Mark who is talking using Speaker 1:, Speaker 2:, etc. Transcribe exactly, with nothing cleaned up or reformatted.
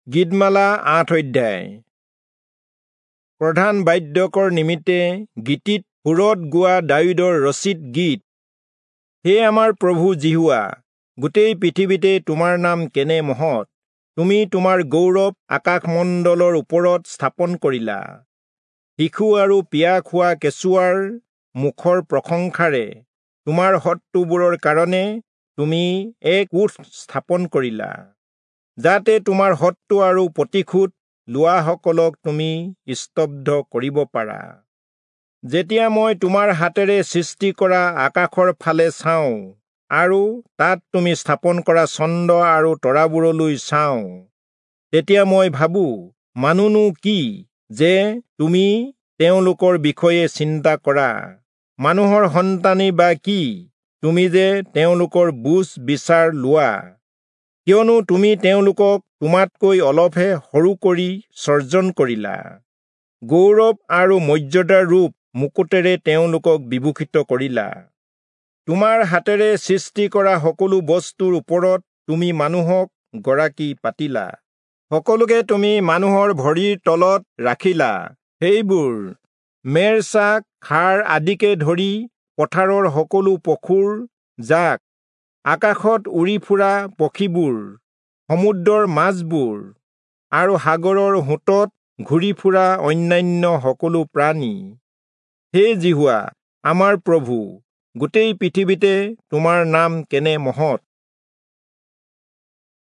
Speaker 1: গীতমালা আঠ অধ্যায়। প্ৰধান বাদ্যকৰ নিমিত্তে গীতিত সুৰত গোৱা দায়ূদৰ ৰচিত গীত। হে আমাৰ প্ৰভু যিহোৱা, গোটেই পৃথিৱীতে তোমাৰ নাম কেনে মহৎ! তুমি তোমাৰ গৌৰৱ আকাশমণ্ডলৰ ওপৰত স্থাপন কৰিলা। শিশু আৰু পিয়াহ খোৱা কেঁচুৱাৰ মুখৰ প্ৰশংসাৰে তোমাৰ শত্ৰুবোৰৰ কাৰণে তুমি এক কোঁঠ স্থাপন কৰিলা, যাতে তোমাৰ শত্ৰু আৰু প্ৰতিশোধ লোৱাসকলক তুমি স্তব্ধ কৰিব পাৰা। যেতিয়া মই তোমাৰ হাতেৰে সৃষ্টি কৰা আকাশৰ ফালে চাওঁ আৰু তাত তুমি স্থাপন কৰা চন্দ্ৰ আৰু তৰাবোৰলৈ চাওঁ, তেতিয়া মই ভাবো, মানুহনো কি যে তুমি তেওঁলোকৰ বিষয়ে চিন্তা কৰা? মানুহৰ সন্তানেই বা কি, তুমি যে তেওঁলোকৰ বুজ বিচাৰ লোৱা? কিয়নো তুমি তেওঁলোকক তোমাতকৈ অলপহে সৰু কৰি সৰ্জন কৰিলা, গৌৰৱ আৰু মৰ্যাদাৰ ৰূপ মুকুটেৰে তেওঁলোকক বিভূষিত কৰিলা। তোমাৰ হাতেৰে সৃষ্টি কৰা সকলো বস্তুৰ ওপৰত তুমি মানুহক গৰাকী পাতিলা। সকলোকে তুমি মানুহৰ ভৰিৰ তলত ৰাখিলা, সেইবোৰ মেৰ-ছাগ, ষাঁড় আদিকে ধৰি পথাৰৰ সকলো পশুৰ জাক, আকাশত উৰি ফুৰা পক্ষীবোৰ, সমুদ্ৰৰ মাছবোৰ আৰু সাগৰৰ সোঁতত ঘূৰি ফুৰা অন্যান্য সকলো প্ৰাণী। হে যিহোৱা আমাৰ প্ৰভু, গোটেই পৃথিৱীতে তোমাৰ নাম কেনে মহৎ!